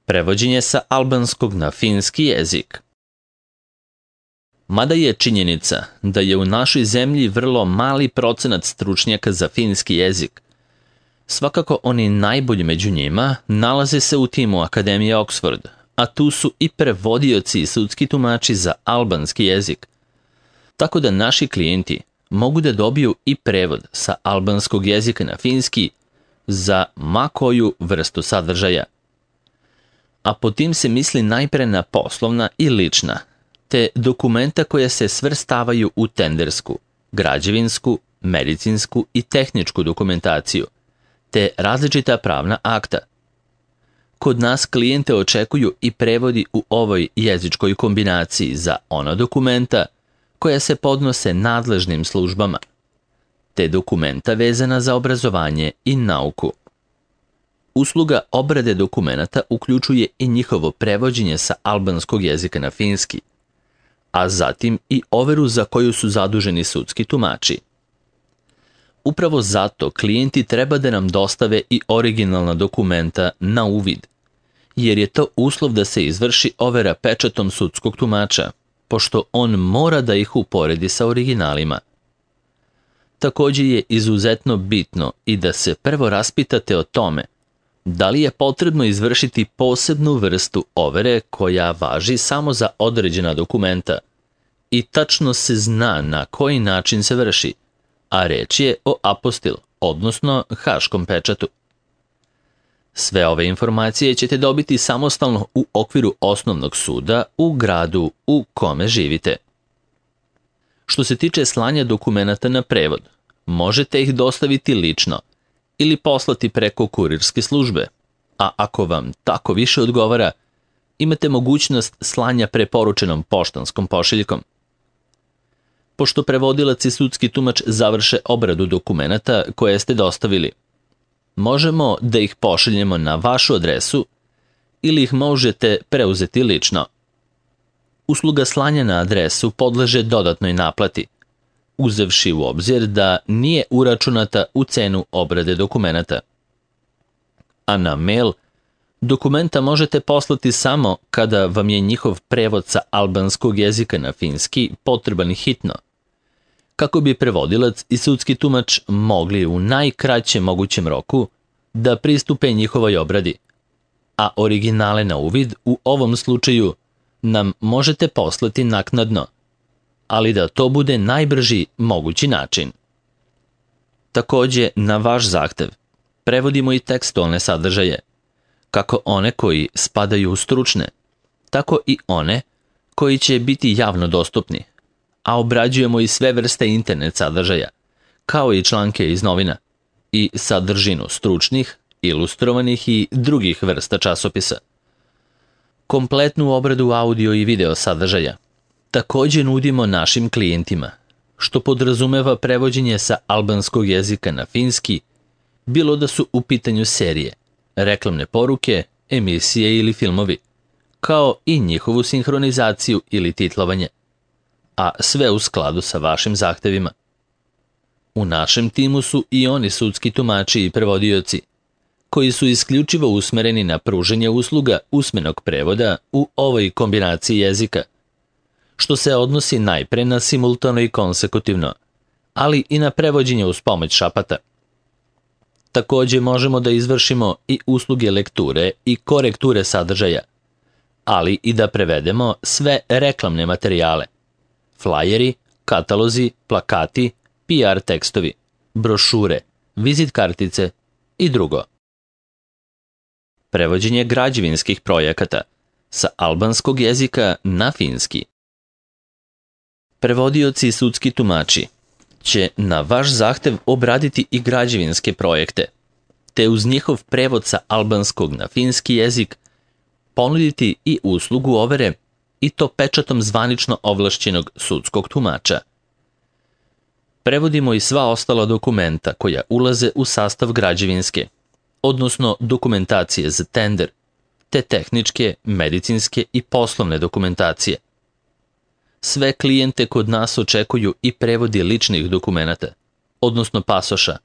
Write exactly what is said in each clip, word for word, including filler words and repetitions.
Prevođenje sa albanskog na finski jezik. Mada je činjenica da je u našoj zemlji vrlo mali procenat stručnjaka za finski jezik, svakako oni najbolji među njima nalaze se u timu Akademije Oxford, a tu su i prevodioci i sudski tumači za albanski jezik. Tako da naši klijenti mogu da dobiju i prevod sa albanskog jezika na finski za ma koju vrstu sadržaja. A po tim se misli najpre na poslovna i lična, te dokumenta koja se svrstavaju u tendersku, građevinsku, medicinsku i tehničku dokumentaciju, te različita pravna akta. Kod nas klijente očekuju i prevodi u ovoj jezičkoj kombinaciji za ona dokumenta koja se podnose nadležnim službama, te dokumenta vezana za obrazovanje i nauku. Usluga obrade dokumenata uključuje i njihovo prevođenje sa albanskog jezika na finski, a zatim i overu za koju su zaduženi sudski tumači. Upravo zato klijenti treba da nam dostave i originalna dokumenta na uvid, jer je to uslov da se izvrši overa pečatom sudskog tumača, pošto on mora da ih uporedi sa originalima. Također je izuzetno bitno i da se prvo raspitate o tome da li je potrebno izvršiti posebnu vrstu overe koja važi samo za određena dokumenta i tačno se zna na koji način se vrši, a reč je o apostil, odnosno haškom pečatu. Sve ove informacije ćete dobiti samostalno u okviru osnovnog suda u gradu u kome živite. Što se tiče slanja dokumenata na prevod, možete ih dostaviti lično ili poslati preko kurirske službe, a ako vam tako više odgovara, imate mogućnost slanja preporučenom poštanskom pošiljkom. Pošto prevodilac i sudski tumač završe obradu dokumenata koje ste dostavili, možemo da ih pošaljemo na vašu adresu ili ih možete preuzeti lično. Usluga slanja na adresu podleže dodatnoj naplati, uzevši u obzir da nije uračunata u cenu obrade dokumenata. A na mail dokumenta možete poslati samo kada vam je njihov prevod sa albanskog jezika na finski potreban hitno, kako bi prevodilac i sudski tumač mogli u najkraćem mogućem roku da pristupe njihovoj obradi, a originale na uvid u ovom slučaju nam možete poslati naknadno, ali da to bude najbrži mogući način. Također, na vaš zahtev prevodimo i tekstualne sadržaje, kako one koji spadaju u stručne, tako i one koji će biti javno dostupni, a obrađujemo i sve vrste internet sadržaja, kao i članke iz novina i sadržinu stručnih, ilustrovanih i drugih vrsta časopisa. Kompletnu obradu audio i video sadržaja također nudimo našim klijentima, što podrazumeva prevođenje sa albanskog jezika na finski, bilo da su u pitanju serije, reklamne poruke, emisije ili filmovi, kao i njihovu sinhronizaciju ili titlovanje, a sve u skladu sa vašim zahtevima. U našem timu su i oni sudski tumači i prevodioci, koji su isključivo usmereni na pružanje usluga usmenog prevoda u ovoj kombinaciji jezika, što se odnosi najpre na simultano i konsekutivno, ali i na prevođenje uz pomoć šapata. Također možemo da izvršimo i usluge lekture i korekture sadržaja, ali i da prevedemo sve reklamne materijale, flajeri, katalozi, plakati, P R tekstovi, brošure, vizit kartice i drugo. Prevođenje građevinskih projekata sa albanskog jezika na finski. Prevodioci i sudski tumači će na vaš zahtev obraditi i građevinske projekte, te uz njihov prevod sa albanskog na finski jezik ponuditi i uslugu overe, i to pečatom zvanično ovlašćenog sudskog tumača. Prevodimo i sva ostala dokumenta koja ulaze u sastav građevinske, odnosno dokumentacije za tender, te tehničke, medicinske i poslovne dokumentacije. Sve klijente kod nas očekuju i prevodi ličnih dokumenata, odnosno pasoša,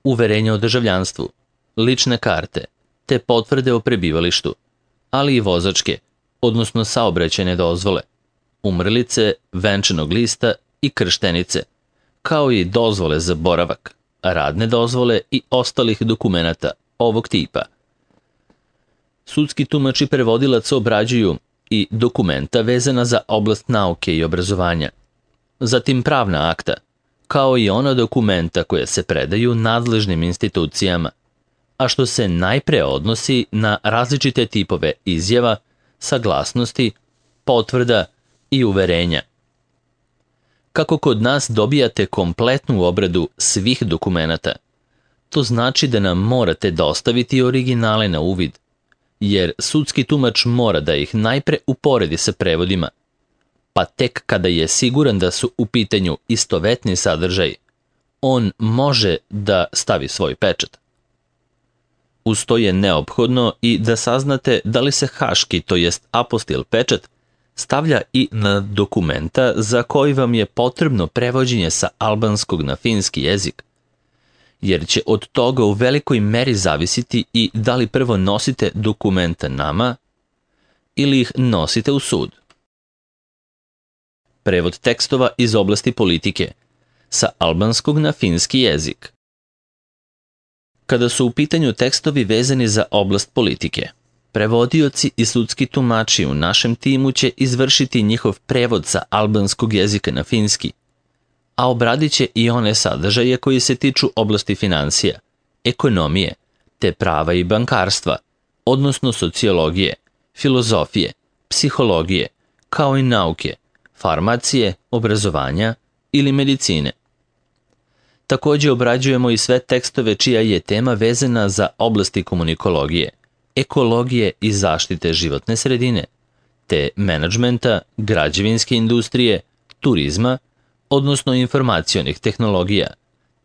uverenja o državljanstvu, lične karte, te potvrde o prebivalištu, ali i vozačke, odnosno saobraćajne dozvole, umrlice, venčanog lista i krštenice, kao i dozvole za boravak, radne dozvole i ostalih dokumenata ovog tipa. Sudski tumač i prevodilac obrađuju i dokumenta vezana za oblast nauke i obrazovanja, zatim pravna akta, kao i ona dokumenta koja se predaju nadležnim institucijama, a što se najpre odnosi na različite tipove izjava, saglasnosti, potvrda i uverenja. Kako kod nas dobijate kompletnu obradu svih dokumenata, to znači da nam morate dostaviti originale na uvid, jer sudski tumač mora da ih najpre uporedi sa prevodima, pa tek kada je siguran da su u pitanju istovetni sadržaj, on može da stavi svoj pečat. Uz to je neophodno i da saznate da li se haški, to jest apostil pečat, stavlja i na dokumenta za koji vam je potrebno prevođenje sa albanskog na finski jezik, jer će od toga u velikoj meri zavisiti i da li prvo nosite dokumenta nama ili ih nosite u sud. Prevod tekstova iz oblasti politike sa albanskog na finski jezik. Kada su u pitanju tekstovi vezani za oblast politike, prevodioci i sudski tumači u našem timu će izvršiti njihov prevod sa albanskog jezika na finski, a obradit će i one sadržaje koji se tiču oblasti financija, ekonomije, te prava i bankarstva, odnosno sociologije, filozofije, psihologije, kao i nauke, farmacije, obrazovanja ili medicine. Također obrađujemo i sve tekstove čija je tema vezana za oblasti komunikologije, ekologije i zaštite životne sredine, te menadžmenta, građevinske industrije, turizma, odnosno informacionih tehnologija,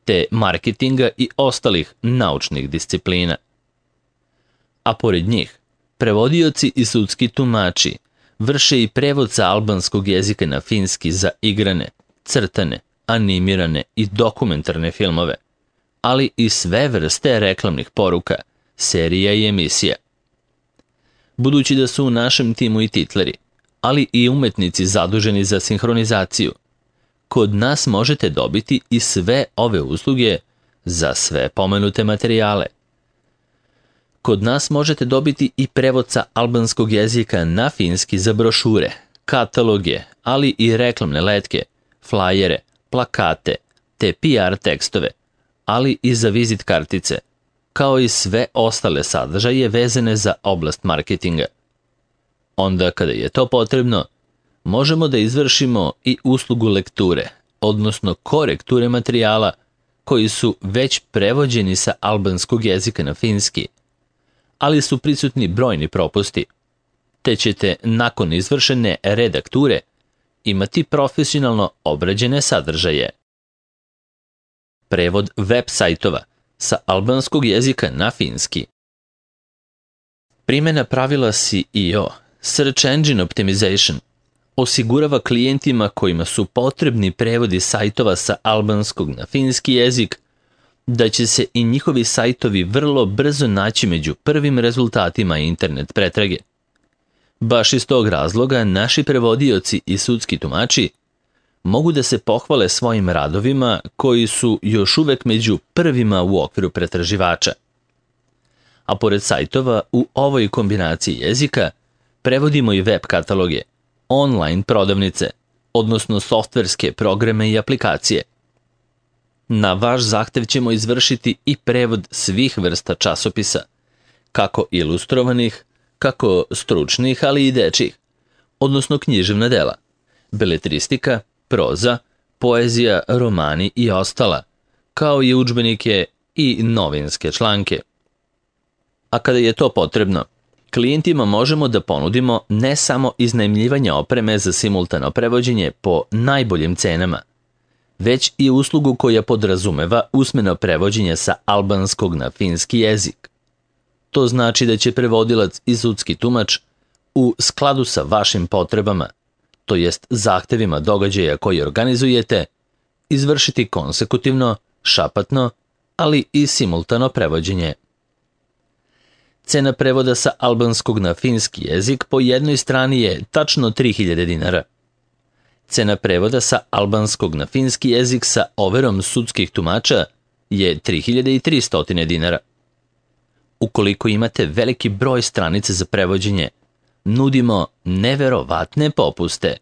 te marketinga i ostalih naučnih disciplina. A pored njih, prevodioci i sudski tumači vrše i prevod sa albanskog jezika na finski za igrane, crtane, animirane i dokumentarne filmove, ali i sve vrste reklamnih poruka, serija i emisija. Budući da su u našem timu i titleri, ali i umetnici zaduženi za sinhronizaciju, kod nas možete dobiti i sve ove usluge za sve pomenute materijale. Kod nas možete dobiti i prevod sa albanskog jezika na finski za brošure, kataloge, ali i reklamne letke, flajere, plakate, te P R tekstove, ali i za vizit kartice, kao i sve ostale sadržaje vezane za oblast marketinga. Onda kada je to potrebno, možemo da izvršimo i uslugu lekture, odnosno korekture materijala koji su već prevođeni sa albanskog jezika na finski, ali su prisutni brojni propusti, te ćete nakon izvršene redakture imati profesionalno obrađene sadržaje. Prevod web sajtova sa albanskog jezika na finski. Primjena pravila S E O, Search Engine Optimization, osigurava klijentima kojima su potrebni prevodi sajtova sa albanskog na finski jezik da će se i njihovi sajtovi vrlo brzo naći među prvim rezultatima internet pretrage. Baš iz tog razloga naši prevodioci i sudski tumači mogu da se pohvale svojim radovima koji su još uvek među prvima u okviru pretraživača. A pored sajtova u ovoj kombinaciji jezika prevodimo i web kataloge, online prodavnice, odnosno softverske programe i aplikacije. Na vaš zahtev ćemo izvršiti i prevod svih vrsta časopisa, kako ilustrovanih, kako stručnih, ali i dečjih, odnosno književna dela, beletristika, proza, poezija, romani i ostala, kao i udžbenike i novinske članke. A kada je to potrebno, klijentima možemo da ponudimo ne samo iznajmljivanje opreme za simultano prevođenje po najboljim cenama, već i uslugu koja podrazumeva usmeno prevođenje sa albanskog na finski jezik. To znači da će prevodilac i sudski tumač u skladu sa vašim potrebama, to jest zahtevima događaja koji organizujete, izvršiti konsekutivno, šapatno, ali i simultano prevođenje. Cena prevoda sa albanskog na finski jezik po jednoj strani je tačno tri hiljade dinara. Cena prevoda sa albanskog na finski jezik sa overom sudskih tumača je tri hiljade tristo dinara. Ukoliko imate veliki broj stranica za prevođenje, nudimo neverovatne popuste.